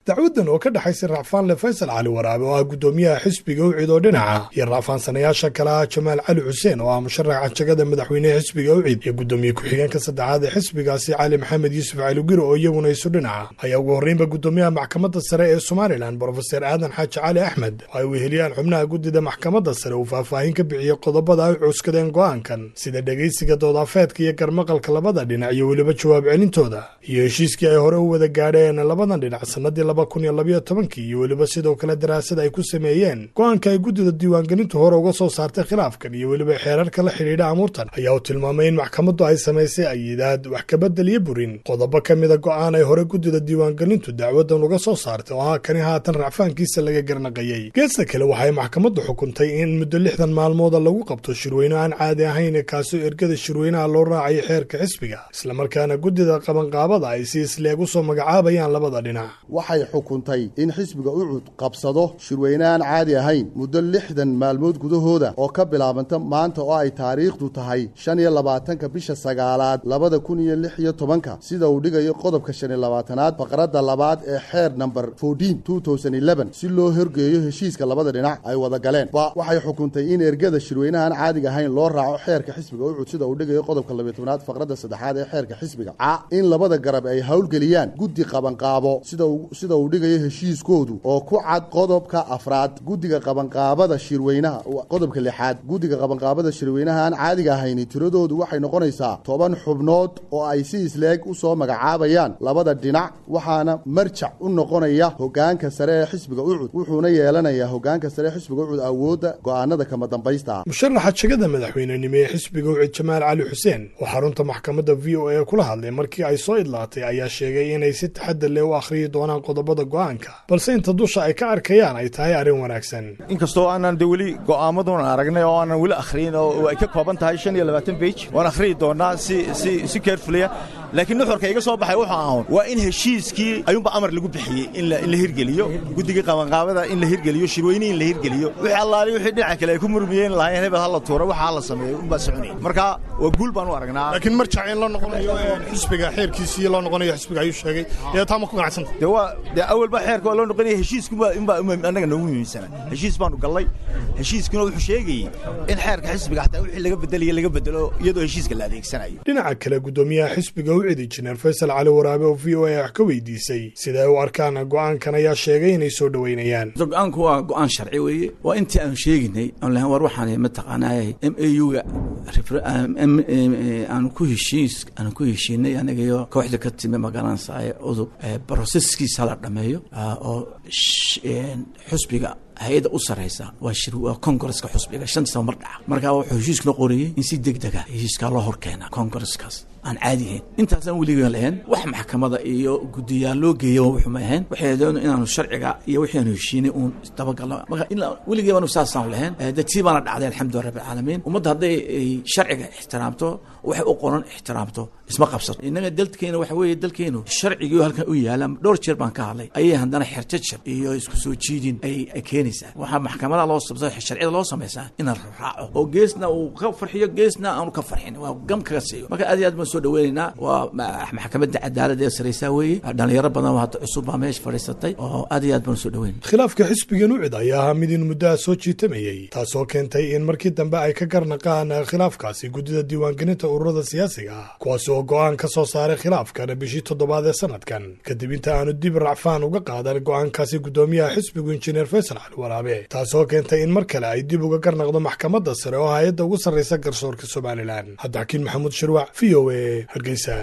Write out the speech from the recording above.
Dacwadan oo ka dhexaysa Racfaanle Faysal Cali Waraabe, oo ah guddoomiyaha xisbiga UCID oo dhinaca, iyo racfaansanayaasha kale ah Jamaal Cali Xuseen, oo ah musharaxa jagada madaxweynehe xisbiga UCID, iyo guddoomiye ku-xigeenka saddexaad ee xisbigaasi Cali Maxamed Yuusuf Cali Guri, oo iyaguna isu dhinaca, ayaa ugu horreynba guddoomiyaha maxkamadda sare ee Somalilan, Brofeser Aadan Xaaji Cali Axmed, oo ay weheliyaan xubnaha guddida maxkamadda sare, uu faahfaahin ka bixiyey qodobada ay cuskadeen go'aankan, sida dhegaysiga doodafeedka iyo garmaqalka labada dhinac iyo weliba jawaab celintooda, iyo heshiiskii ay hore u wada gaadheen labadan dhinac sanadii 2012-kii, iyo weliba sidoo kale daraasad ay ku sameeyeen go'aanka ay guddida diiwaangelintu hore uga soo saartay khilaafkan iyo weliba xeerarka la xidhiidha amuurtan. Ayaa uu tilmaamay in maxkamaddu ay samaysay ayidaad, wax kabedel iyo burin qodobo ka mida go'aan ay hore guddida diiwaangelintu dacwadan uga soo saartay, oo ah kani haatan racfaankiisa laga garnaqayey. Geesta kale, waxay maxkamaddu xukuntay in muddo 60 maalmooda lagu qabto shirweyne aan caadi ahayn, kaasoo ergada shirweynaha loo raacayay xeerka xisbiga, islamarkaana guddida qabanqaabada ay si isleeg u soo magacaabayaan labada dhinac. Waxay xukuntay in xisbiga UCUD qabsado shirweyne aan caadi ahayn muddo 60 maalmood gudahooda, oo ka bilaabanta maanta oo ay taariikhdu tahay 25-ka bisha sagaalaad 2016-ka, sida uu dhigayo qodobka 25-aad faqradda labaad ee xeer namber si loo horgeeyo heshiiska labada dhinac ay wada galeen. Ba waxay xukuntay in ergada shirweynaha aan caadiga ahayn loo raaco xeerka xisbiga UCUD, sida uu dhigayo qodobka 12-aad faqradda saddexaad ee xeerka xisbiga. Ca in labada garab ay howlgeliyaan guddi qabanqaabo, sida uu dhigayo heshiiskoodu oo ku cad qodobka afraad. Guddiga qabanqaabada shirweynaha, qodobka lixaad, guddiga qabanqaabada shirweynaha aan caadiga ahayni tiradoodu waxay noqonaysaa 10 xubnood oo ay si isleeg u soo magacaabayaan labada dhinac, waxaana marjac u noqonaya hogaanka sare ee xisbiga UCUD, wuxuuna yeelanayaa hogaanka sare ee xisbiga UCUD awoodda go'aanada kama dambaysta. Musharaxa jagada madaxweynenimo ee xisbiga UCID, Jamaal Cali Xuseen, oo xarunta maxkamadda VOA kula hadlay markii ay soo idlaatay, ayaa sheegay inay si taxadar leh u akhriyi doonaan qodobada go'aanka, balse inta dusha ay ka arkayaan ay tahay arrin wanaagsan. Inkastoo aanan de weli go'aamaduna aragnay oo aanan weli akhriyin, oo ay ka kooban tahay 25 bage, waan akhriyi doonaa si si si carefully, laakiin nuxurka iga soo baxay wuxuu ahaun waa in heshiiskii ayuunba amar lagu bixiyey in la hirgeliyo guddigii qabanqaabada, in la hirgeliyo shirweyne, in la hirgeliyo wixii allaali wixii dhinaca kale ay ku murmiyeen lahaayeen, hebel ha la tuuro, waxa la sameeyo unbaa soconayay. Marka waa guul baan u aragnaa. Laakiin marjac in loo noqonayo xisbiga, xeerkiisii loo noqonayo xisbiga ayuu sheegay, ee taa ma ku ganacsanta? De waa dee awalba xeerka waa loo noqonaya, heshiiskunbaa inbaa annaga noogu muhiimsana. Heshiis baanu gallay, heshiiskuna wuxuu sheegayey in xeerka xisbiga xataa wixii laga bedelayo laga bedelo iyadoo heshiiska la adeegsanayo. Dhinaca kale, guddoomiyaha xisbiga UCID, Injineer Faysal Cali Waraabe, oo VOA wax ka weydiisay sida ay u arkaan go'aankan, ayaa sheegay inay soo dhoweynayaan. Go'aanku waa go'aan sharci weeye. Waa intii aanu sheeginay aan lahayn war waxaan mataqaanaa MAU-ga aanu ku heshiis aanu ku heshiinay aniga iyo kooxda ka timi magaranaysaay udub, broseskiisa la dhameeyo oo xusbiga hay-adda u sarraysa waa shir, waa congresska xusbiga, 5 sano mar dhaca. Marka wuxuu heshiiskuna qorayey in si deg dega heshiiskaa loo hor keenaa congresskaas aan caadi ahayn. Intaasaan weligan lahayn wax maxkamada iyo guddiyaal loo geeya wuxuu ma ahayn. Waxay doon inaanu sharciga iyo wixii aanu heshiinay uun dabagalno. Marka ilaa weligii baanu saasaan lahayn, dee tii baana dhacday, alxamdulilah rabbil caalamiin. Ummadda hadday sharciga ixtiraamto, waxay u qoran ixtiraamto, isma qabsato. Innaga dalkeena waxa weeye dalkeenu sharcigii halkan u yaala, dhowr jeer baan ka hadlay, ayay haddana xerjajab iyo isku soo jiidin ay keenaysaa. Waxaa maxkamada loo sabsa, sharciyada loo samaysaa inaan raaco, oo geesna uu ka farxiyo, geesna aanu ka farxin, waa gam kaga siiyo. Marka aad iyo aad baan soo dhaweynaynaa. Waa maxkamadda cadaaladda ee saraysaa weeye. Dhalinyaro badan oo hadda cusub baa meesha fadhiisatay, oo aad iyo aad baan soo dhaweynay. Khilaafka xisbigan UCID ayaa ahaa mid in muddaha soo jiitamayey, taasoo keentay in markii dambe ay ka garnaqaan khilaafkaasi guddida diiwaangelinta ururada siyaasiga ah, kuwaas oo go'aan ka soo saaray khilaafkan bishii toddobaad ee sanadkan, kadib inta aanu dib racfaan uga qaadan go'aankaasi guddoomiyaha xisbigu, Injineer Faysal Cali Waraabe, taasoo keentay in mar kale ay dib uga garnaqdo maxkamadda sare oo hay-adda ugu sarraysa garsoorka Somalilan. Cabdixakiin Maxamuud Shirwac, VOA, Hargeysa.